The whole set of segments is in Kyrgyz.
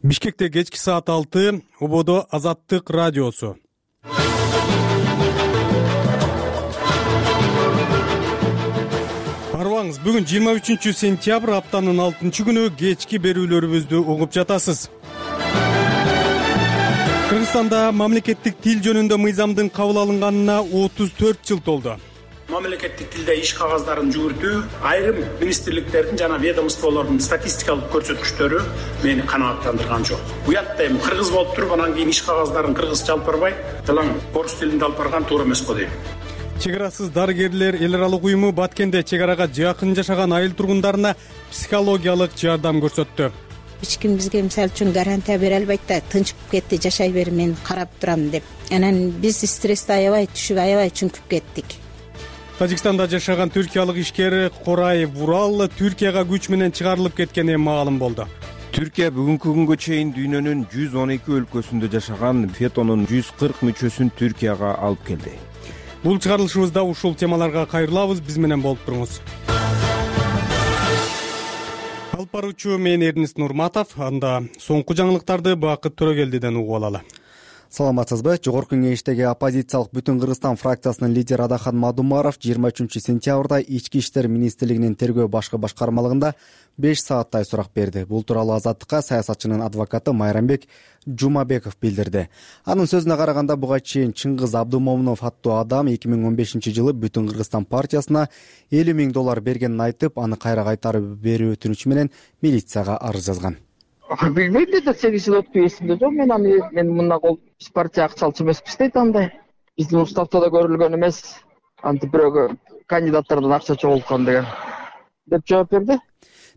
Бишкекте кечки саат 6, Ободо Азаттык радиосу. Арыбаңыз, бүгүн 23 сентябрь, аптанын 6-күнү, кечки берүүлөрүбүздү угуп жатасыз. Кыргызстанда мамлекеттик тил жөнүндө мыйзамдын кабыл алынганына 34 жыл толду. Мамлекеттик тилде иш кагаздарын жүгүртүү айрым министрликтердин жана ведомстволордун статистикалык көрсөткүчтөрү мени канааттандырган жок. Уятта эми кыргыз болуп туруп, анан кийин иш кагаздарын кыргызча алып барбай, тылаң орус тилинде алып барган туура эмес го дейм. Чек арасыз дарыгерлер эл аралык уюму Баткенде чек арага жакын жашаган айыл тургундарына психологиялык жардам көрсөттү. Эч ким бизге мисалы үчүн гарантия бере албайт да, тынчып кетти, жашай бер, мен карап турам деп. Анан биз стрессти аябай түшүп, аябай чүңкүп кеттик. Тажикстанда жашаган түркиялык ишкер Корай Вурал Түркияга күч менен чыгарылып кеткени маалым болду. Түркия бүгүнкү күнгө чейин дүйнөнүн 112 өлкөсүндө жашаган ФЕТОнун 140 мүчөсүн Түркияга алып келди. Бул чыгарылышыбызда ушул темаларга кайрылабыз, биз менен болуп туруңуз. Алып баруучу мен Эрнис Нурматов, анда соңку жаңылыктарды Бакыт Төрөгелдиден угуп алалы. Саламатсызбы? Жогорку кеңештеги оппозициялык Бүтүн Кыргызстан фракциясынын лидери Адахан Мадумаров 23 сентябрда Ички иштер министрлигинин тергөө башкы башкармалыгында 5 сааттай сурак берди. Бул тууралуу Азаттыкка саясатчынын адвокаты Майрамбек Жумабеков билдирди. Анын сөзүнө караганда, буга чейин Чыңгыз Абдумомунов аттуу адам 2015-жылы Бүтүн Кыргызстан партиясына $50 000 бергенин айтып, аны кайра кайтарып берүү өтүнүчү менен милицияга арыз жазган. Билбейм да, 8 жыл өтүп эсимде жок. Мен мындай кол партия акчалчы эмеспиз дейт андай. Биздин уставда көрүлгөн эмес. Антип бирөөгө кандидаттардан акча чогулткан деген деп жооп берди.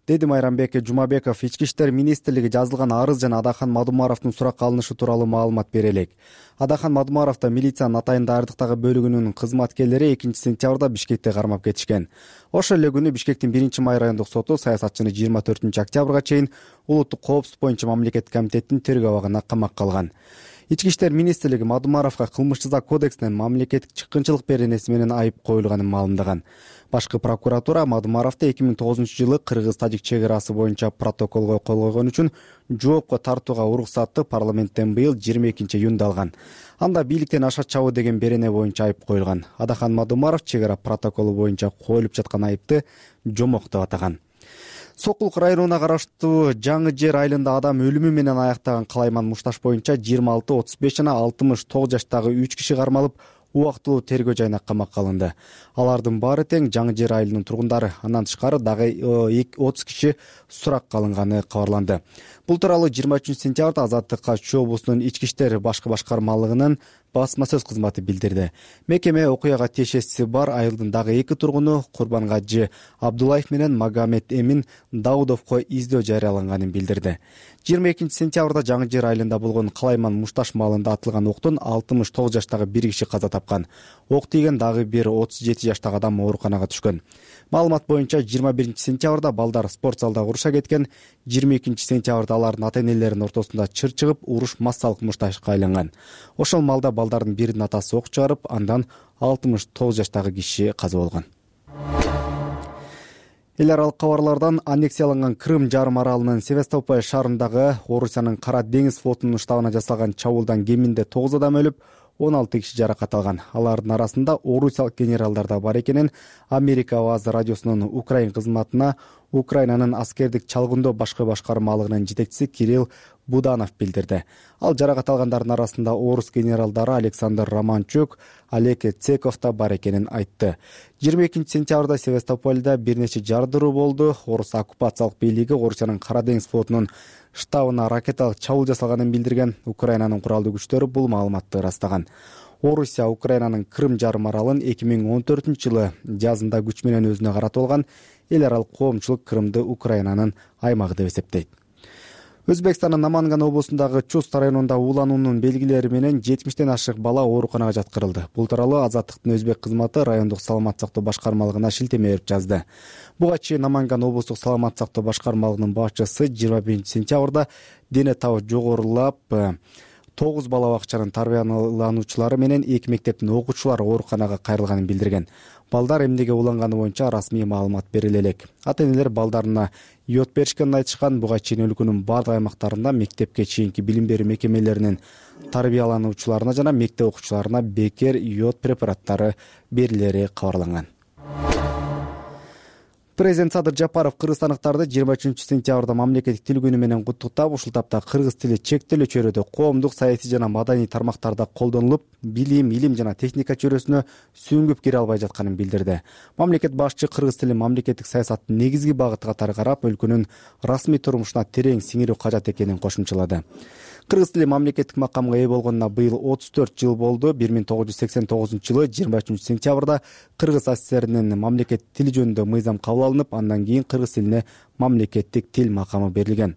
Деди Майрамбек Жумабеков. Ички иштер министрлиги жазылган арыз жана Адахан Мадумаровдун суракка алынышы тууралуу маалымат бере элек. Адахан Мадумаров да милициянын Атайын даярдыктагы бөлүгүнүн кызматкерлери 2-сентябрда Бишкекте кармап кетишкен. Ошол эле күнү Бишкектин 1-май райондук соту саясатчыны 24-октябрга чейин улуттук коопсуздук боюнча мамлекеттик комитеттин тергөө абагына камакка алган. Ички иштер министрлиги Мадумаровго кылмыш жаза кодексинен мамлекеттик чыккынчылык беренеси менен айып коюлганын маалымдаган. Башкы прокуратура Мадумаровду 2009-жылы кыргыз-тажик чек арасы боюнча протоколго кол койгон үчүн жоопко тартууга уруксатты парламенттен быйыл 22-июнда алган. Анда бийликтен аша чабуу деген берене боюнча айып коюлган. Адахан Мадумаров чек ара протоколу боюнча коюлуп жаткан айыпты жомок деп атаган. Сокулук районуна караштуу Жаңы Жер айылында адам өлүмү менен аяктаган Калайман Мушташ боюнча 26, 35 жана 69 жаштагы 3 киши кармалып, убактылуу тергөө жайына камакка алынды. Алардын баары тең Жаңы Жер айылынын тургундары. Андан тышкары дагы 30 киши суракка алынганы кабарланды. Бул тууралуу 23 сентябрда Азаттыкка Чүй облусунун ички иштер башкы башкармалыгынын басма сөз кызматы билдирди. Мекеме окуяга тиешеси бар айылдын дагы 2 тургуну Курбангажы Абдуллаев менен Магомед Эмин Даудовго издөө жарыяланганын билдирди. 22 сентябрда Жаңы Жер айылында болгон Калайман Мушташ маалында атылган октон 69 жаштагы 1 киши каза тапкан. Ок тийген дагы бир 37 жаштагы адам ооруканага түшкөн. Маалымат боюнча 21 сентябрда балдар спорт залда уруша кеткен. 22 сентябрда алардын ата-энелеринин ортосунда чыр чыгып, уруш массалык мушташка айланган. Ошол малда балдардын биринин атасы ок чыгарып, андан 69 жаштагы киши каза болгон. Эл аралык кабарлардан аннексияланган Крым жарым аралынын Севастополь шаарындагы Орусиянын Кара деңиз флотунун штабына жасалган чабуулдан кеминде 9 адам өлүп, 16 киши жаракат алган. Алардын арасында орусиялык генералдар да бар экенин Америка Аваз радиосунун Украин кызматына Украинанын аскердик чалгындоо башкы башкармалыгынын жетекчиси Кирилл Буданов билдирди. Ал жаракат алгандардын арасында орус генералдары Александр Романчук, Олег Цеков да бар экенин айтты. 22 сентябрда Севастопольда бир нече жардыруу болду. Орус оккупациялык бийлиги Орусиянын Кара деңиз флотунун штабына ракеталык чабуул жасалганын билдирген. Украинанын куралдуу күчтөрү бул маалыматты ырастаган. Орусия Украинанын Крым жарым аралын 2014-жылы жазында күч менен өзүнө каратып алган. Эл аралык коомчулук Крымды Украинанын аймагы деп эсептейт. Өзбекстандын Наманган облусундагы Чуст районунда уулануунун белгилери менен 70ден ашык бала ооруканага жаткырылды. Бул тууралуу Азаттыктын өзбек кызматы райондук саламат сактоо башкармалыгына шилтеме берип жазды. Буга чейин Наманган облустук саламат сактоо башкармалыгынын башчысы 21 сентябрда дене табы жогорулап 9 бала бакчанын тарбиялануучулары менен 2 мектептин окуучулары ооруканага кайрылганын билдирген. Балдар эмнеге уланганы боюнча расмий маалымат бериле элек. Ата-энелер балдарына йод беришкенин айтышкан. Буга чейин өлкөнүн бардык аймактарында мектепке чейинки билим берүү мекемелеринин тарбиялануучуларына жана мектеп окуучуларына бекер йод препараттары берилери кабарланган. Президент Садыр Жапаров кыргызстандыктарды 23-сентябрда мамлекеттик тил күнү менен куттуктап, ушул тапта кыргыз тили чектелүү чөйрөдө коомдук, саясий жана маданий тармактарда колдонулуп, билим, илим жана техника чөйрөсүнө сүңгүп кире албай жатканын билдирди. Мамлекет башчы кыргыз тили мамлекеттик саясаттын негизги багыты катары карап, өлкөнүн расмий турмушуна терең сиңирүү кажат экенин кошумчалады. Кыргыз тили мамлекеттик макамга ээ болгонуна быйыл 34 жыл болду. 1989-жылы 23-сентябрда Кыргыз СССРинин мамлекеттик тили жөнүндө мыйзам кабыл алынып, андан кийин кыргыз тилине мамлекеттик тил макамы берилген.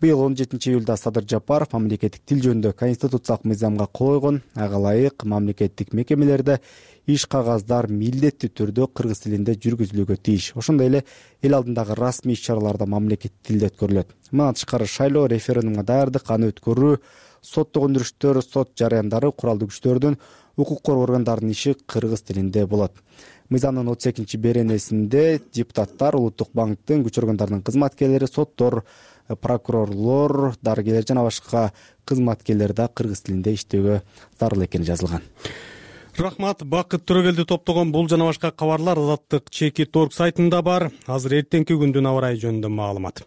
Быйыл 17-июлда Садыр Жапаров мамлекеттик тил жөнүндө конституциялык мыйзамга кол койгон. Ага ылайык мамлекеттик мекемелерде иш кагаздар милдеттүү түрдө кыргыз тилинде жүргүзүлүүгө тийиш. Ошондой эле эл алдындагы расмий иш-чаралар да мамлекеттик тилде өткөрүлөт. Мындан тышкары шайлоо, референдумга даярдык, аны өткөрүү, соттук өндүрүштөр, сот жарыяндары, куралдуу күчтөрдүн, укук коргоо органдарынын иши кыргыз тилинде болот. Мыйзамдын 32-беренесинде депутаттар, Улуттук банктын, күч органдарынын кызматкерлери, соттор, прокурорлор, дарыгерлер жана башка кызматкерлер да кыргыз тилинде иштөөгө зарыл экени жазылган. Рахмат. Бакыт Төрөгелди топтогон бул жана башка кабарлар Азаттык Чекит.org сайтында бар. Азыр эртеңки күндүн аба ырайы жөнүндө маалымат.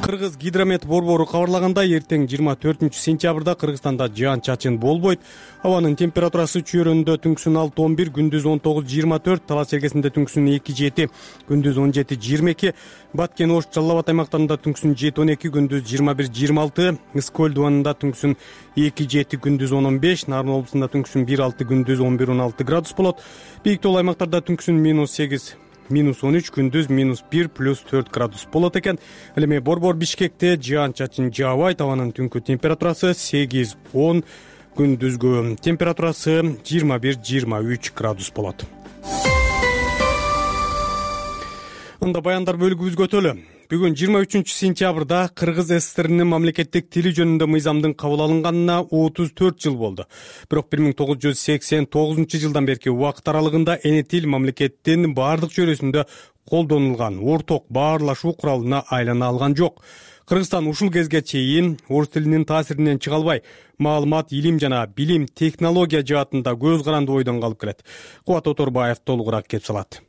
Кыргыз гидромет борбору кабарлагандай, эртең 24-сентябрда Кыргызстанда жаан-чачын болбойт. Абанын температурасы чүйрөндө түнкүсүн 6-11, күндүз 19-24, талас чергесинде түнкүсүн 2-7, күндүз 17-22, Баткен, Ош, Жалал Абад аймактарында түнкүсүн 7-12, күндүз 21-26, Ысык-Көл дубанында түнкүсүн 2-7, күндүз 10-15, Нарын облусунда түнкүсүн 1-6, күндүз 11-16 градус болот. Бийик тоол аймактарда түнкүсүн -8, -13, күндүз -1, +4 градус болот экен. Ал эми борбор Бишкекте жаан-чачын жаабайт. Абанын түнкү температурасы 8-10, күндүзгү температурасы 21-23 градус болот. Анда баяндар бөлүгүбүзгө өтөлү. Бүгүн 23-сентябрда Кыргыз СССРинин мамлекеттик тили жөнүндө мыйзамдын кабыл алынганына 34 жыл болду. Бирок 1989-жылдан берки убакыт аралыгында эне тил мамлекеттин бардык чөйрөсүндө колдонулган орток баарлашуу куралына айлана алган жок. Кыргызстан ушул кезге чейин орус тилинин таасиринен чыга албай, маалымат, илим жана билим, технология жаатында көз каранды ойдон калып келет. Кубат Оторбаев толугураак кеп салат.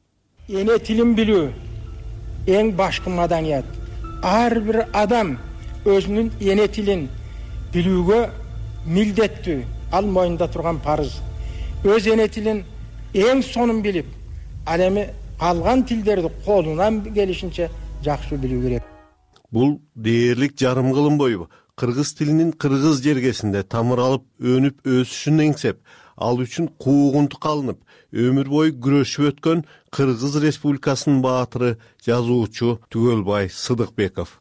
Эне тилин билүү эң башкы маданият. Ар бир адам өзүнүн эне тилин билүүгө милдеттүү. Ал мойнунда турган парыз. Өз эне тилин эң сонун билип, ал эми калган тилдерди колунан келишинче жакшы билүү керек. Бул дээрлик жарым кылым бою кыргыз тилинин кыргыз жергесинде тамыр алып, өнүп өсүшүн эңсеп, ал үчүн куугунтук алынып, өмүр бою күрөшүп өткөн Кыргыз Республикасынын баатыры, жазуучу Түгөлбай Сыдыкбеков.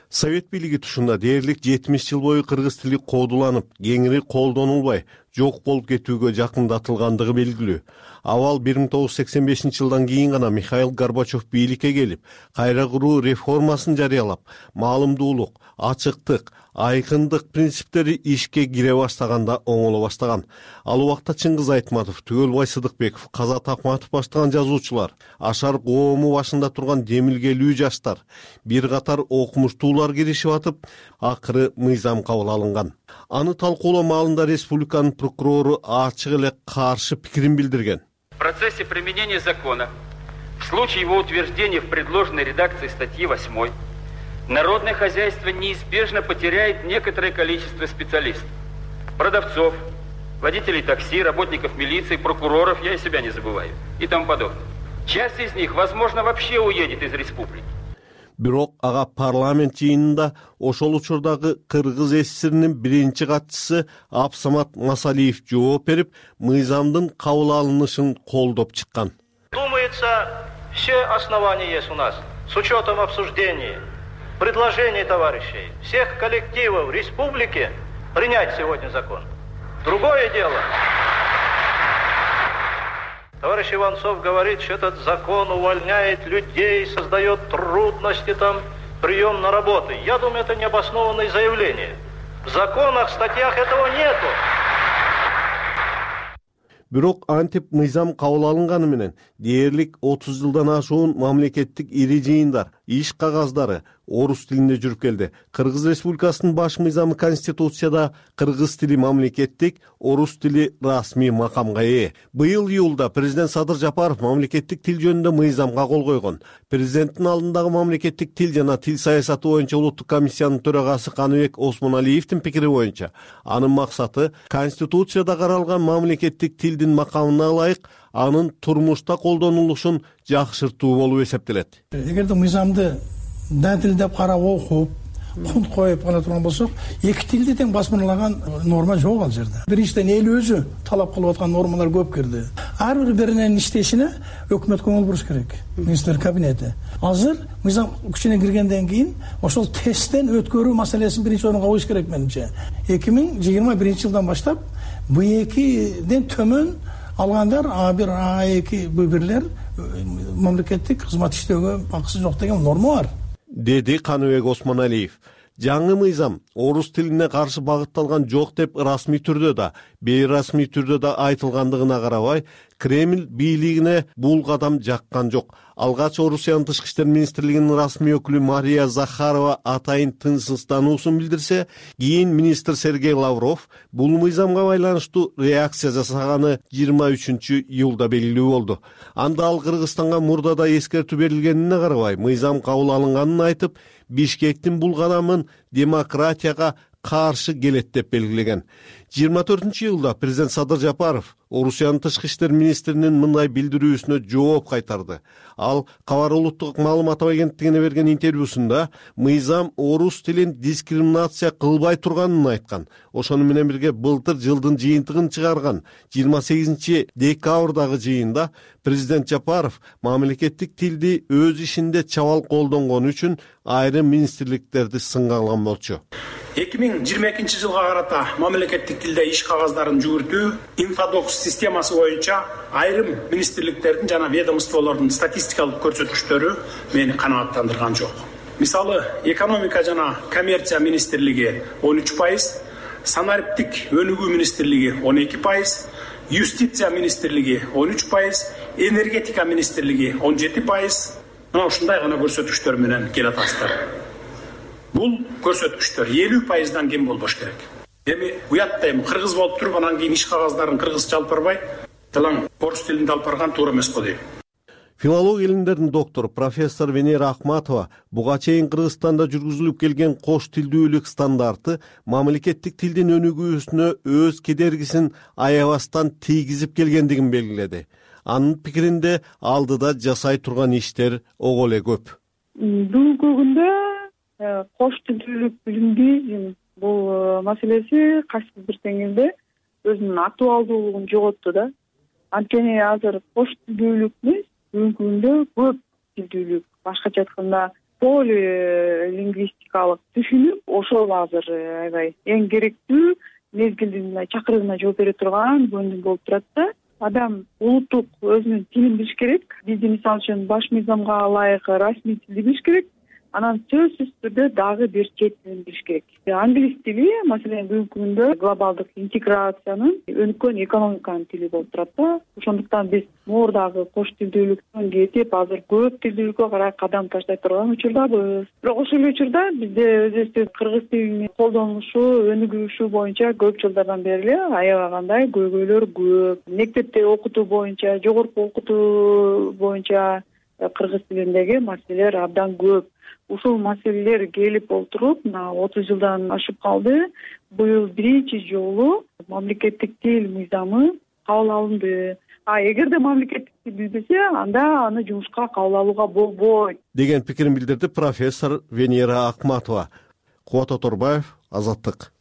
Совет бийлиги тушунда дээрлик 70 жыл бою кыргыз тили кодуланып, кеңири колдонулбай, жок болуп кетүүгө жакындатылгандыгы белгилүү. Авал 1985-жылдан кийин гана Михаил Горбачев бийликке келип, кайра куруу реформасын жарыялап, маалымдуулук, ачыктык, айкындык принциптери ишке кире баштаганда оңоло баштаган. Ал убакта Чыңгыз Айтматов, Түгөлбай Сыдыкбеков, Казат Акматов баштаган жазуучулар, Ашар коому башында турган демилгелүү жаштар, бир катар окумуштуулар киришип атып, акыры мыйзам кабыл алынган. Аны талкуулоо маалында республиканын прокурору ачык эле каршы пикирин билдирген. В процессе применения закона, в случае его утверждения в предложенной редакции статьи 8, народное хозяйство неизбежно потеряет некоторое количество специалистов, продавцов, водителей такси, работников милиции, прокуроров, я и себя не забываю, и тому подобное. Часть из них, возможно, вообще уедет из республики. Бирок ага парламент жыйынында ошол учурдагы Кыргыз СССРинин биринчи катчысы Абсамат Масалиев жооп берип, мыйзамдын кабыл алынышын колдоп чыккан. Думается, все основания есть у нас, с учетом обсуждений, предложений товарищей, всех коллективов республики принять сегодня закон. Другое дело. Товарищ Иванцов говорит, что этот закон увольняет людей, создает трудности там прием на работу. Я думаю, это необоснованное заявление. В законах, статьях этого нету. Бирок антип мыйзам кабыл алынганы менен дээрлик 30 жылдан ашуун мамлекеттик ири жыйындар, иш кагаздары орус тилинде жүрүп келди. Кыргыз Республикасынын баш мыйзамы Конституцияда кыргыз тили мамлекеттик, орус тили расмий макамга ээ. Быйыл июлда президент Садыр Жапаров мамлекеттик тил жөнүндө мыйзамга кол койгон. Президенттин алдындагы мамлекеттик тил жана тил саясаты боюнча улуттук комиссиянын төрагасы Каныбек Осмоналиевдин пикири боюнча анын максаты Конституцияда каралган мамлекеттик тилдин макамына ылайык анын турмушта колдонулушун жакшыртуу болуп эсептелет. Эгерде мыйзамды датилдеп карап окуп, кунт коюп гана турган болсок, эки тилди тең басмырлаган норма жок ал жерде. Биринчиден эл өзү талап кылып аткан нормалар көп кирди. Ар биринин иштешине өкмөт көңүл буруш керек. Министрлер кабинети. Азыр мыйзам күчүнө киргенден кийин ошол тесттен өткөрүү маселесин биринчи орунга коюш керек менимче. 2021-жылдан баштап B2ден төмөн алгандар A1, A2 бирлер мамлекеттик кызмат иштөөгө акысы жок деген норма бар, деди Каныбек Осмоналиев. Жаңы мыйзам орус тилине каршы багытталган жок деп расмий түрдө да, бейрасмий түрдө да айтылгандыгына карабай, Кремль бийлигине бул кадам жаккан жок. Алгач Орусиянын тышкы иштер министрлигинин расмий өкүлү Мария Захарова атайын тынчсыздануусун билдирсе, кийин министр Сергей Лавров бул мыйзамга байланыштуу реакция жасаганы 23-июлда белгилүү болду. Анда ал Кыргызстанга мурда да эскертүү берилгенине карабай, мыйзам кабыл алынганын айтып, Бишкектин бул кадамын демократияга каршы келет деп белгилеген. 24-июлда президент Садыр Жапаров Орусиянын тышкы иштер министринин мындай билдирүүсүнө жооп кайтарды. Ал Кабар улуттук маалымат агенттигине берген интервьюсунда мыйзам орус тилин дискриминация кылбай турганын айткан. Ошону менен бирге былтыр жылдын жыйынтыгын чыгарган 28-декабрдагы жыйында президент Жапаров мамлекеттик тилди өз ишинде чабал колдонгон үчүн айрым министрликтерди сынга алган болчу. 2022-жылга карата мамлекеттик тилде иш кагаздарын жүгүртүү инфодокс системасы боюнча айрым министрликтердин жана ведомстволордун статистикалык көрсөткүчтөрү мени канааттандырган жок. Мисалы, экономика жана коммерция министрлиги 13%, санариптик өнүгүү министрлиги 12%, юстиция министрлиги 13%, энергетика министрлиги 17%. Мына ушундай гана көрсөткүчтөр менен келатасыздар. Бул көрсөткүчтөр 50%дан кем болбош керек. Эми уятта кыргыз болуп туруп анан кийин иш кагаздарын кыргызча алып барбай, тылаң орус тилинде алып барган туура эмес го дейм. Филология илимдеринин доктору профессор Венера Ахматова буга чейин Кыргызстанда жүргүзүлүп келген кош тилдүүлүк стандарты мамлекеттик тилдин өнүгүүсүнө өз кедергисин аябастан тийгизип келгендигин белгиледи. Анын пикиринде алдыда жасай турган иштер ого эле көп. Бүгүнкү күндө кош тилдүүлүк билимдизм бул маселеси кайсы бир теңирде өзүнүн актуалдуулугун жоготту да. Анткени азыр кош тилдүүлүк бүгүнкү күндө көп тилдүүлүк, башкача айтканда полилингвистикалык түшүнүк ошол азыр аябай эң керектүү мезгилдин чакырыгына жооп бере турган көндүм болуп турат да. Адам улуттук өзүнүн тилин билиш керек. Бизде мисалы үчүн баш мыйзамга ылайык расмий тилди билиш керек. Анан сөзсүз түрдө дагы бир чет тилин билиш керек. Англис тили, маселен, бүгүнкү күндө глобалдык интеграциянын өнүккөн экономиканын тили болуп турат да. Ошондуктан биз моордагы кош тилдүүлүктөн кетип, азыр көп тилдүүлүккө карай кадам таштай турган учурдабыз. Бирок ошол эле учурда бизде өзүбүздүн кыргыз тилинин колдонулушу, өнүгүшү боюнча көп жылдардан бери эле аябагандай көйгөйлөр көп. Мектепте окутуу боюнча, жогорку окутуу боюнча кыргыз тилиндеги маселелер абдан көп. Ушул маселелер келип олтуруп, 30 жылдан ашып калды. Быйыл биринчи жолу мамлекеттик тил мыйзамы кабыл алынды. Эгерде мамлекеттик тил билбесе, анда аны жумушка кабыл алууга болбойт деген пикирин билдирди профессор Венера Ахматова. Кубат Оторбаев, Азаттык.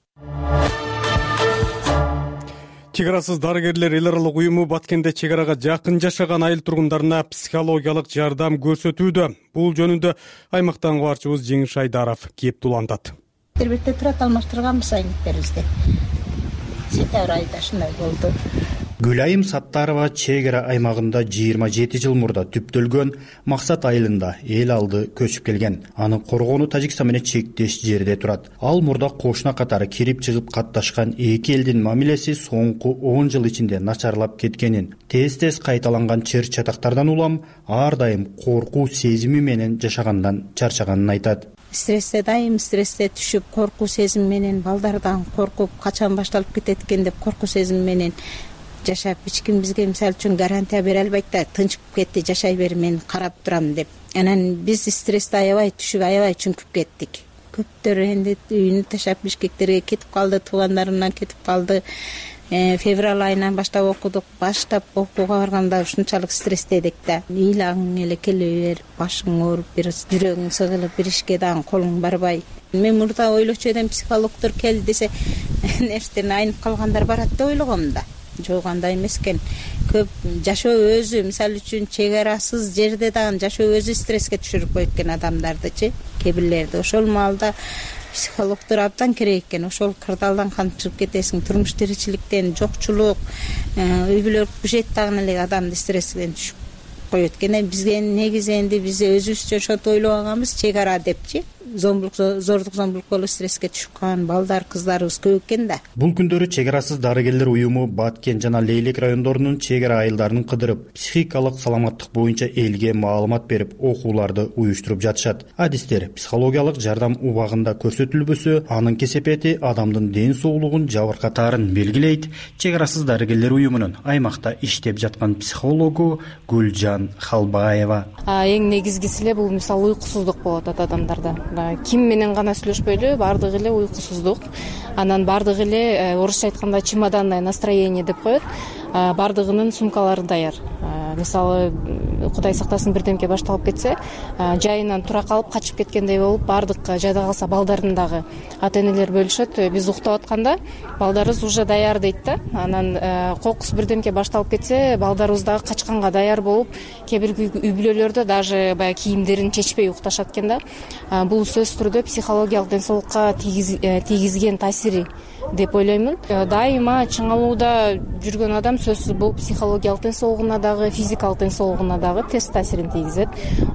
Чек арасыз дарыгерлер эл аралык уюму Баткенде чек арага жакын жашаган айыл тургундарына психологиялык жардам көрсөтүүдө. Бул жөнүндө аймактан кабарчыбыз Жеңиш Айдаров кеп улантат. Интербетте турат алмаштырганбыз айнектерибизди. Сентябрь айында шундай болду. Гүлайым Саттарова чек ара аймагында 27 жыл мурда түптөлгөн Максат айылында эл алды көчүп келген. Анын коргону Тажикстан менен чектеш жерде турат. Ал мурда кошуна катары кирип чыгып катташкан эки элдин мамилеси соңку 10 жыл ичинде начарлап кеткенин, тез кайталанган чыр чатактардан улам ар дайым коркуу сезими менен жашагандан чарчаганын айтат. Дайым стрессте түшүп, коркуу сезим менен, балдардан коркуп, качан башталып кетет экен деп коркуу сезим менен жашап, эч ким бизге мисалы үчүн гарантия бере албайт да, тынчып кетти, жашай бер, мен карап турам деп. Анан биз стрессте аябай түшүп, аябай чүңкүп кеттик. Көптөр энди үйүнү таштап Бишкектерге кетип калды, туугандарынан кетип калды. Февраль айынан баштап окудук. Баштап окууга барганда ушунчалык стресте эдик да. Ыйлагың эле келе бер, башың ооруп, бир жүрөгүң сыгылып, бир ишке дагы колуң барбай. Мен мурда ойлочу эдим, психологдор кел десе, нерседен айнып калгандар барат деп ойлогом да. Жок, андай эмес экен. Көп жашоо өзү, мисалы үчүн чек арасыз жерде дагы жашоо өзү стресске түшүрүп койт экен адамдардычы, кээ бирлерди. Ошол маалда психологдор абдан керек экен. Ошол кырдаалдан кантип чыгып кетесиң, турмуш тиричиликтен, жокчулук, үй бүлөлүк бюджет дагы эле адамды стресстен түшүп коет экен. Бизге негизи энди биз өзүбүзчө ошентип ойлогонбуз, чек ара депчи. Зордук зомбулук болуп стресске түшүп калган балдар, кыздарыбыз көп экен да. Бул күндөрү чек арасыз дарыгерлер уюму Баткен жана Лейлек райондорунун чек ара айылдарын кыдырып, психикалык саламаттык боюнча элге маалымат берип, окууларды уюштуруп жатышат. Адистер психологиялык жардам убагында көрсөтүлбөсө, анын кесепети адамдын ден соолугун жабыркатаарын белгилейт. Чек арасыз дарыгерлер уюмунун аймакта иштеп жаткан психологу Гүлжан Халбаева. Эң негизгиси эле бул мисалы уйкусуздук болот адамдарда. Ким менен гана сүйлөшпөйлү, бардыгы эле уйкусуздук. Анан бардыгы эле орусча айтканда чемоданное настроение деп коет. Бардыгынын сумкалары даяр. Мисалы, Кудай сактасын, бирдемке башталып кетсе, жайынан тура калып качып кеткендей болуп, бардык жайда калса балдарын дагы ата-энелер бөлүшөт. Биз уктап атканда балдарыбыз уже даяр дейт да. Анан кокус бирдемке башталып кетсе, балдарыбыз дагы качканга даяр болуп, кээ бир үй бүлөлөрдө даже баягы кийимдерин чечпей укташат экен да. Бул сөзсүз түрдө психологиялык ден соолукка тийгизген таасири деп ойлоймун. Дайыма чыңалууда жүргөн адам сөзсүз бул психологиялык ден соолугуна дагы, физикалык ден соолугуна дагы терс таасирин тийгизет.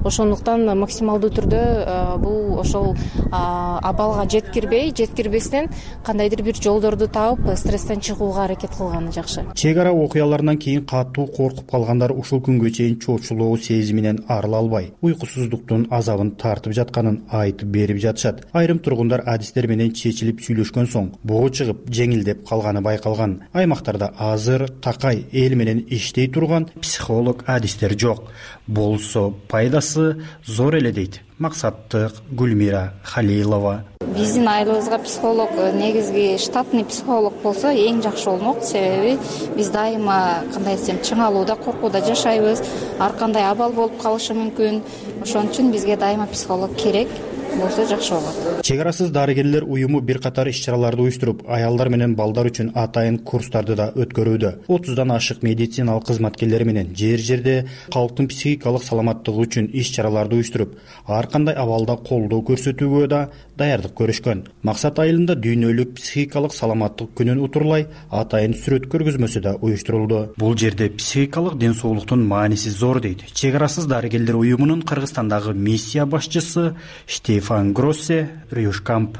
Ошондуктан максималдуу түрдө бул ошол абалга жеткирбестен кандайдыр бир жолдорду таап, стресстен чыгууга аракет кылганы жакшы. Чек ара окуяларынан кийин катуу коркуп калгандар ушул күнгө чейин чоочулоо сезиминен арыла албай, уйкусуздуктун азабын тартып жатканын айтып берип жатышат. Айрым тургундар адистер менен чечилип сүйлөшкөн соң боо чыгып жеңилдеп калганы байкалган. Аймактарда азыр такай эл менен иштей турган психолог адистер жок. Болсо пайдасы зор эле дейт максаттык Гүлмира Халилова. Биздин айылыбызга психолог, негизги штатный психолог болсо эң жакшы болмок. Себеби биз дайыма кандай десем чыңалууда, коркууда жашайбыз. Ар кандай абал болуп калышы мүмкүн. Ошон үчүн бизге дайыма психолог керек. Болсо жакшы болот. Чек арасыз дарыгерлер уюму бир катар иш-чараларды уюштуруп, аялдар менен балдар үчүн атайын курстарды да өткөрүүдө. 30дан ашык медициналык кызматкерлери менен жер-жерде калктын психикалык саламаттыгы үчүн иш-чараларды уюштуруп, ар кандай абалда колдоо көрсөтүүгө да даярдык көрүшкөн. Максат айылында дүйнөлүк психикалык саламаттык күнүн утурлай атайын сүрөт көргөзмөсү да уюштурулду. Бул жерде психикалык ден соолуктун мааниси зор дейт чек арасыз дарыгерлер уюмунун Кыргызстандагы миссия башчысы Стефан Гроссе Рюшкамп.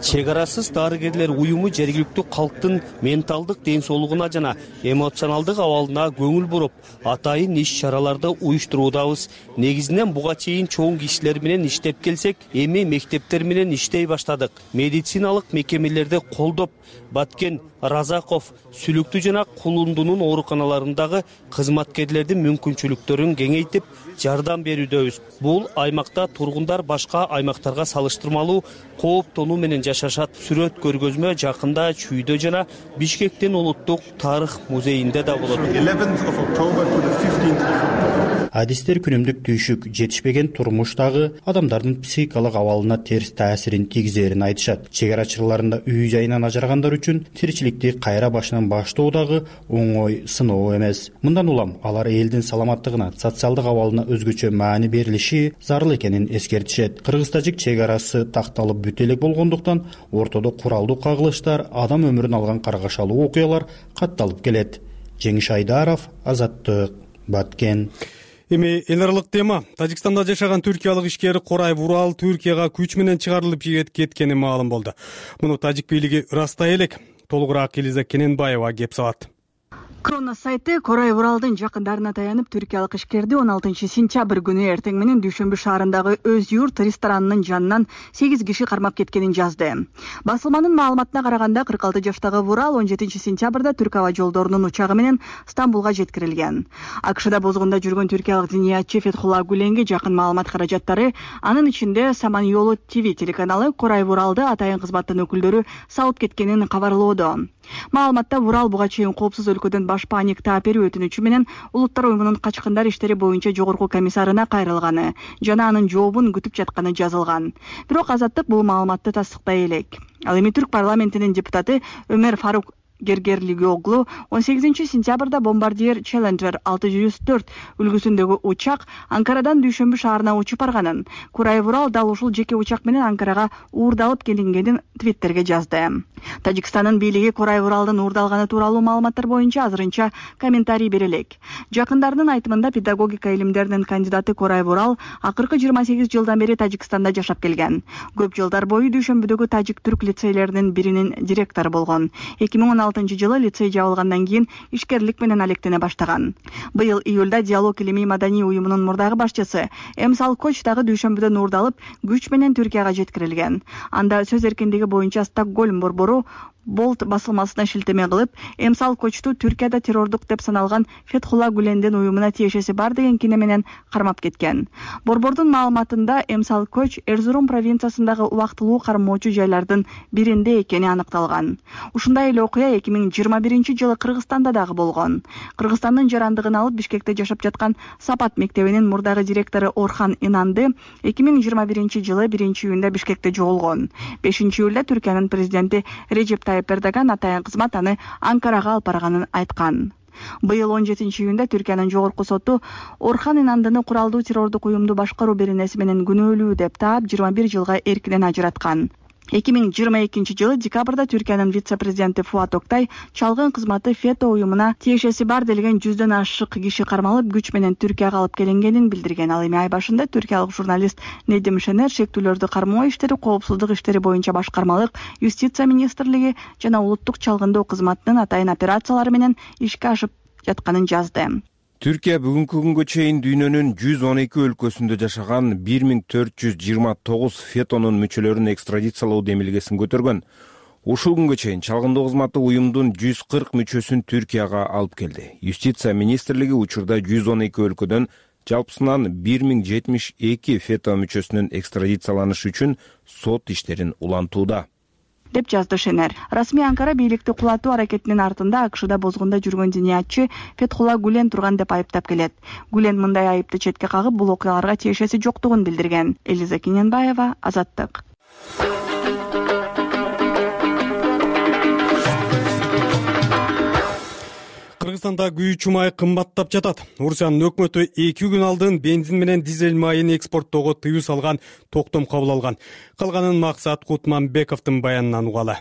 Чек арасыз дарыгерлер уюму жергиликтүү калктын менталдык ден соолугуна жана эмоционалдык абалына көңүл буруп, атайын иш-чараларды уюштуруудабыз. Негизинен буга чейин чоң кишилер менен иштеп келсек, эми мектептер менен иштей баштадык. Медициналык мекемелерди колдоп, Баткен, Разаков, Сүлүктүү жана Кулундунун ооруканаларындагы кызматкерлердин мүмкүнчүлүктөрүн кеңейтип, жардам берүүдөбүз. Бул аймакта тургундар башка аймактарга салыштырмалуу кооптонуу менен жашашат. Сүрөт көргөзмө жакында Чүйдө жана Бишкектин улуттук тарых музейинде да болот. адистер күнүмдүк түйшүк, жетишпеген турмуш дагы адамдардын психикалык абалына терс таасирин тийгизерин айтышат. Чек ара чырларында үй жайынан ажырагандар үчүн тиричиликти кайра башынан баштоо дагы оңой сыноо эмес. Мындан улам алар элдин саламаттыгына, социалдык абалына өзгөчө маани берилиши зарыл экенин эскертишет. Кыргыз-тажик чек арасы такталып бүт элек болгондуктан ортодо куралдуу кагылыштар, адам өмүрүн алган каргашалуу окуялар катталып келет. Жеңиш Айдаров, Азаттык, Баткен. Эми эл аралык тема. Тажикстанда жашаган түркиялык ишкер Корай Вурал Түркияга күч менен чыгарылып кеткени маалым болду. Муну тажик бийлиги ырастай элек. Толугураак Элиза Кененбаева кеп салат. Кронос сайты Корай Вуралдын жакындарына таянып, түркиялык ишкерди 16 сентябрь күнү эртең менен Дүйшөмбү шаарындагы Өз юрт ресторанынын жанынан 8 киши кармап кеткенин жазды. Басылманын маалыматына караганда 46 жаштагы Вурал 17 сентябрда Түрк аба жолдорунун учагы менен Стамбулга жеткирилген. АКШда бозгунда жүргөн түркиялык диниятчы Фетхулла Гуленге жакын маалымат каражаттары, анын ичинде Саман Yolu TV телеканалы Корай Вуралды атайын кызматтын өкүлдөрү салып кеткенин кабарлоодо. Маалыматта Вурал буга чейин коопсуз өлкөдөн баш паник таап берүү өтүнүчү менен Улуттар уюмунун качкындар иштери боюнча жогорку комиссарына кайрылганы жана анын жообун күтүп жатканы жазылган. Бирок Азаттык бул маалыматты тастыктай элек. Ал эми Түрк парламентинин депутаты Өмөр Фарук Гергерлигоглу 18 сентябрда бомбардир Challenger 604 үлгүсүндөгү учак Анкарадан Дүйшөмбү шаарына учуп барганын, Корай Вурал дал ушул жеке учак менен Анкарага уурдалып келингенин Твиттерге жазды. Тажикстандын бийлиги Корай Вуралдын уурдалганы тууралуу маалыматтар боюнча азырынча комментарий бере элек. Жакындарынын айтымында педагогика илимдеринин кандидаты Корай Вурал акыркы 28 жылдан бери Тажикстанда жашап келген. Көп жылдар бою Дүйшөмбүдөгү тажик-түрк лицейлеринин биринин директору болгон. 2016 жылы лицей жабылгандан кийин ишкерлик менен алектене баштаган. Быйыл июлда Диалог илимий маданий уюмунун мурдагы башчысы Эмсал Коч дагы Дүйшөмбүдөн уурдалып, күч менен Түркияга жеткирилген. Анда сөз эркиндиги боюнча Стокгольм борбору Болт басылмасына шилтеме кылып, Эмсал Кочту Түркияда террордук деп саналган Фетхулла Гулендин уюмуна тиешеси бар деген кине менен кармап кеткен. Борбордун маалыматында Эмсал Коч Эрзурум провинциясындагы убактылуу кармоочу жайлардын биринде экени аныкталган. Ушундай эле окуя 2021 жылы Кыргызстанда дагы болгон. Кыргызстандын жарандыгын алып Бишкекте жашап жаткан Сапат мектебинин мурдагы директору Орхан Инанды 2021 жылы 1-июнда Бишкекте жоголгон. 5-июлда Түркиянын президенти Режеп Эрдоган атайын кызмат аны Анкарага алып барганын айткан. Быйыл 17-июнда Түркиянын жогорку соту Орхан Инандыны куралдуу террордук уюмду башкаруу беренеси менен күнөөлүү деп таап 21 жылга эркинен ажыраткан. 2022 жылы декабрда Түркиянын вице-президенти Фуат Октай чалгын кызматы ФЕТО уюмуна тиешеси бар делген 100дөн ашык киши кармалып, күч менен Түркияга алып келингенин билдирген. Ал эми ай башында түркиялык журналист Недим Шенер шектүүлөрдү кармоо иштери, коопсуздук иштери боюнча башкармалык, юстиция министрлиги жана улуттук чалгындоо кызматынын атайын операциялары менен ишке ашып жатканын жазды. Түркия бүгүнкү күнгө чейин дүйнөнүн 112 өлкөсүндө жашаган 1429 фетонун мүчөлөрүн экстрадициялоо демилгесин көтөргөн. Ушул күнгө чейин чалгындоо кызматы уюмдун 140 мүчөсүн Түркияга алып келди. Юстиция министрлиги учурда 112 өлкөдөн жалпысынан 1072 фето мүчөсүнүн экстрадицияланышы үчүн сот иштерин улантууда, деп жазды Шенер. Расмий Анкара бийликти кулатуу аракетинин артында АКШда бозгунда жүргөн диниятчы Фетхулла Гулен турган деп айыптап келет. Гулен мындай айыпты четке кагып, бул окуяларга тиешеси жоктугун билдирген. Элиза Кененбаева, Азаттык. Кыргызстанда күйүүчү май кымбаттап жатат. Орусиянын өкмөтү 2 күн алдын бензин менен дизель майын экспорттоого тыюу салган, токтом кабыл алган. Калганын Максат Кутманбековдун баянынан угалы.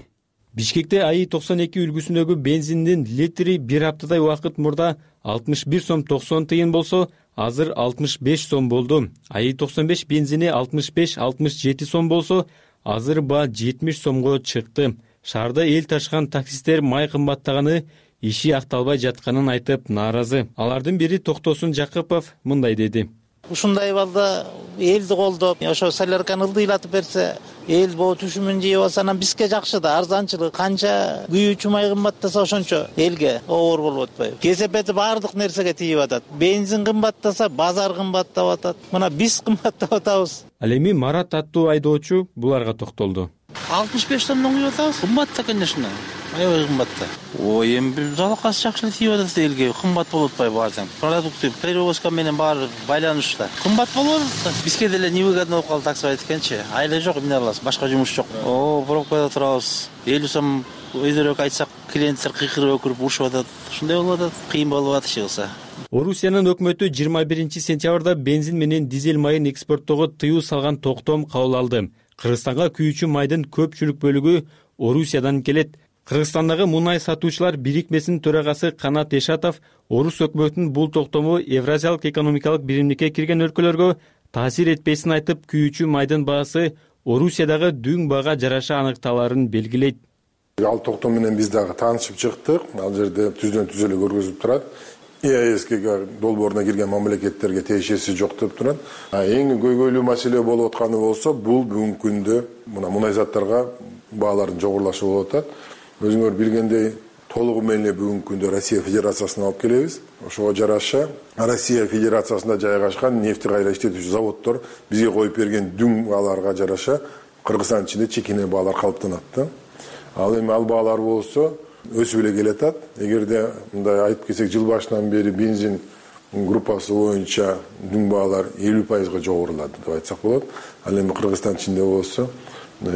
Бишкекте АИ 92 үлгүсүндөгү бензиндин литри бир аптадай убакыт мурда 61 сом 90 тыйын болсо, азыр 65 сом болду. АИ 95 бензини 65-67 сом болсо, азыр ба 70 сомго чыкты. Шаарда эл ташкан таксисттер май кымбаттаганы, иши акталбай жатканын айтып нааразы. Алардын бири Токтосун Жакыпов мындай деди. Ушундай балда элди колдоп, ошо солярканы ылдыйлатып берсе, эл боо түшүмүн жеп алса, анан бизге жакшы да, арзанчылык. Канча күйүүчү май кымбаттаса ошончо элге оор болуп атпайбы? Кесепети баардык нерсеге тийип атат. Бензин кымбаттаса, базар кымбаттап атат. Мына биз кымбаттап атабыз. Ал эми Марат аттуу айдоочу буларга токтолду. 65 сомдон күйүп атабыз. Кымбат да, конечно. аябай кымбат да. Ой, эми бир залакасы жакшы эле тийип атат элге, кымбат болуп атпайбы баардык. Продукты перевозка менен баары байланышта. Кымбат болуп атат да. Бизге деле невыгодно болуп калды таксы айткенчи. Айла жок, эмне кыласыз? Башка жумуш жок. Пробкада турабыз. 50 сом өйдөрөөк айтсак, клиенттер кыйкырып өкүрүп урушуп атат. Ушундай болуп атат. Кыйын болуп атышы кылса. Орусиянын өкмөтү 21-сентябрда бензин менен дизель майын экспорттоого тыюу салган токтом кабыл алды. Кыргызстанга күйүүчү майдын көпчүлүк бөлүгү Орусиядан келет. Кыргызстандагы мунай сатуучулар бирикмесинин төрагасы Канат Эшатов орус өкмөтүнүн бул токтому Евразиялык экономикалык биримдикке кирген өлкөлөргө таасир этпесин айтып, күйүүчү майдын баасы Орусиядагы дүң баага жараша аныкталарын белгилейт. Ал токтом менен биз дагы таанышып чыктык. Ал жерде түздөн түз эле көргөзүлүп турат. ЕАЭСке долбооруна кирген мамлекеттерге тиешеси жок деп турат. Эң көйгөйлүү маселе болуп атканы болсо, бул бүгүнкү күндө мына мунай заттарга баалардын жогорулашы болуп атат. Өзүңөр билгендей, толугу менен бүгүнкү күндө Россия Федерациясына алып келебиз. Ошого жараша Россия Федерациясында жайгашкан нефти кайра иштетүүчү заводдор бизге коюп берген дүң бааларга жараша Кыргызстан ичинде чекине баалар калыптанат да. Ал эми ал баалар болсо өсүп эле келатат. Эгерде мындай айтып кетсек, жыл башынан бери бензин группасы боюнча дүң баалар 50% жогорулады деп айтсак болот. Ал эми Кыргызстан ичинде болсо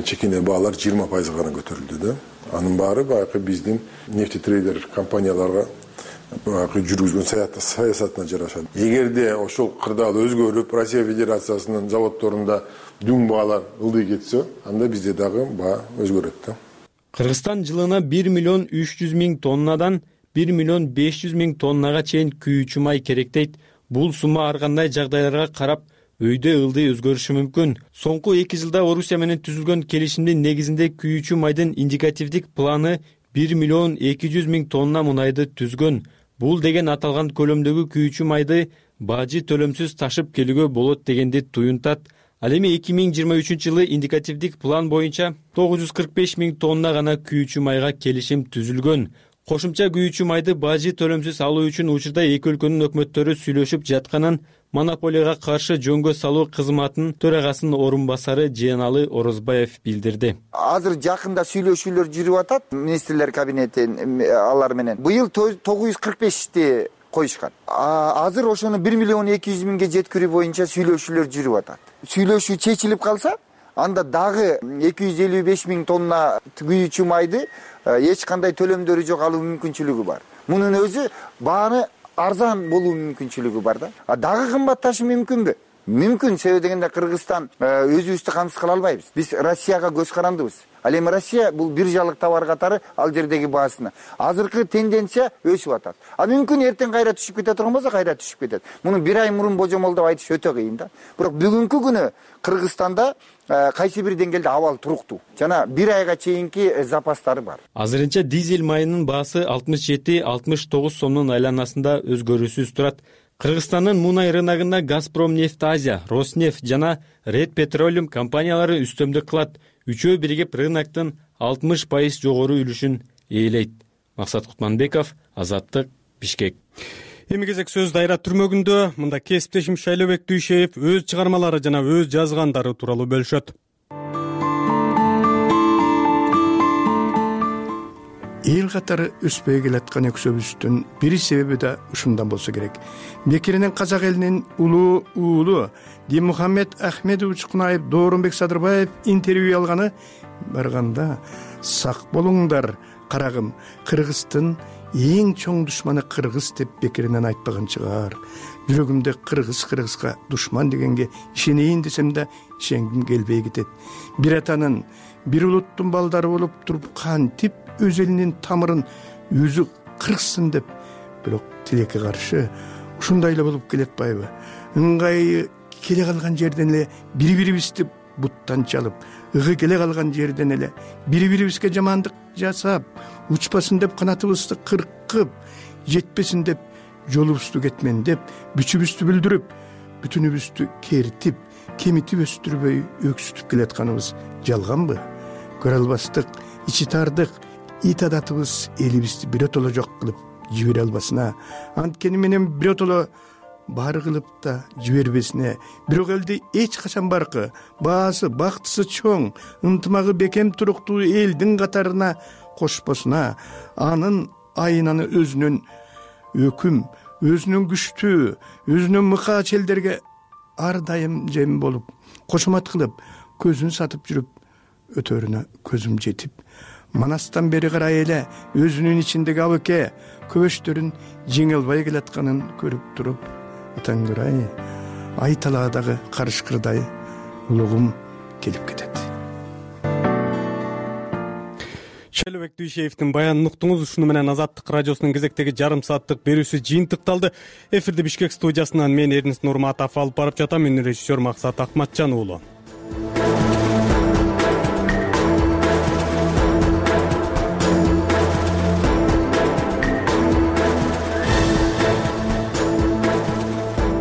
чекине баалар 20% гана көтөрүлдү да. Анын баары баягы биздин нефтетрейдер компанияларга баягы жүргүзгөн саясатына жараша. Эгерде ошол кырдаал өзгөрүп, Россия Федерациясынын заводдорунда дүң баалар ылдый кетсе, анда бизде дагы баа өзгөрөт да. Кыргызстан жылына 1.300.000 тоннадан 1.500.000 тоннага чейин күйүүчү май керектейт. Бул сумма ар кандай жагдайларга карап өйдө ылдый өзгөрүшү мүмкүн. Соңку 2 жылда Орусия менен түзүлгөн келишимдин негизинде күйүүчү майдын индикативдик планы 1.200.000 тонна мунайды түзгөн. Бул деген аталган көлөмдөгү күйүүчү майды бажы төлөмсүз ташып келүүгө болот дегенди туюнтат. Ал эми 2023 жылы индикативдик план боюнча 945.000 тонна гана күйүүчү майга келишим түзүлгөн. Кошумча күйүүчү майды бажы төлөмсүз алуу үчүн учурда эки өлкөнүн өкмөттөрү сүйлөшүп жатканын монополияга каршы жөнгө салуу кызматынын төрагасынын орун басары Жыяналы Орозбаев билдирди. Азыр жакында сүйлөшүүлөр жүрүп атат министрлер кабинети алар менен. Быйыл 945ти коюшкан. Азыр ошону 1.200.000 жеткирүү боюнча сүйлөшүүлөр жүрүп атат. Сүйлөшүү чечилип калса, анда дагы 255.000 тонна күйүүчү майды эч кандай төлөмдөрү жок алуу мүмкүнчүлүгү бар. Мунун өзү бааны арзан болуу мүмкүнчүлүгү бар да. Дагы кымбатташы мүмкүнбү? Мүмкүн, себеби дегенде Кыргызстан өзүбүздү камсыз кыла албайбыз. Биз Россияга көз карандыбыз. Ал эми Россия бул биржалык товар катары ал жердеги баасына. Азыркы тенденция өсүп атат. Мүмкүн эртең кайра түшүп кете турган болсо кайра түшүп кетет. Муну бир ай мурун божомолдоп айтыш өтө кыйын да. Бирок бүгүнкү күнү Кыргызстанда кайсы бир деңгээлде абал туруктуу. Жана бир айга чейинки запастары бар. Азырынча дизель майынын баасы 67-69 сомдун айланасында өзгөрүүсүз турат. Кыргызстандын мунай рыногунда Газпром нефть Азия, Роснефть жана Red Petroleum компаниялары үстөмдүк кылат. Үчөө биригип рыноктун 60% жогору үлүшүн ээлейт. Максат Кутманбеков, Азаттык, Бишкек. Эми кезек сөз дайра түрмөгүндө. Мында кесиптешим Шайлообек Дүйшеев өз чыгармалары жана өз жазгандары тууралуу бөлүшөт. Эл катары өспөй келаткан өксөбүздүн бир себеби да ушундан болсо керек. Бекиринен казак элинин улуу уулу Димухаммед Ахмедович Кунаев Дооронбек Садырбаев интервью алганы барганда сак болуңдар карагым, Кыргыздын эң чоң душманы кыргыз деп бекеринен айтпаган чыгар. Жүрөгүмдө кыргызга душман дегенге ишенейин десем да ишенгим келбей кетет. Бир атанын, бир улуттун балдары болуп туруп кантип өз элинин тамырын өзү кыргызсын деп, бирок тилекке каршы ушундай эле болуп келатпайбы? Ыңгайы келе калган жерден эле бири-бирибизди буттан чалып, ыгы келе калган жерден эле бири-бирибизге жамандык жасап, учпасын деп канатыбызды кыркып, жетпесин деп жолубузду кетмен деп, күчүбүздү билдирип, бүтүнүбүздү кертип, кемитип өстүрбөй өксүтүп келатканыбыз жалганбы? Көрө албастык, ичи тардык, ит адатыбыз элибизди биротоло жок кылып жибере албасына, анткени менен биротоло бар кылып да жибербесине, бирок элди эч качан баркы, баасы, бактысы чоң, ынтымагы бекем туруктуу элдин катарына кошпосуна анын айнаны өзүнүн өкүм, өзүнүн күчтүү, өзүнүн мыкаа челдерге ар дайым жем болуп, кошомат кылып, көзүн сатып жүрүп, өтөрүнө көзүм жетип, манастан бери карай эле өзүнүн ичиндеги абыке көбөчтөрүн жеңе албай келатканын көрүп туруп, атаңгырай, ай талаадагы карышкырдай улугум келип кетет. Шелебек Дүйшеевдин баянын уктуңуз. Ушуну менен Азаттык радиосунун кезектеги жарым сааттык берүүсү жыйынтыкталды. Эфирди Бишкек студиясынан мен Эрнест Нурматов алып барып жатам. Мен режиссер Максат Акматжан уулу.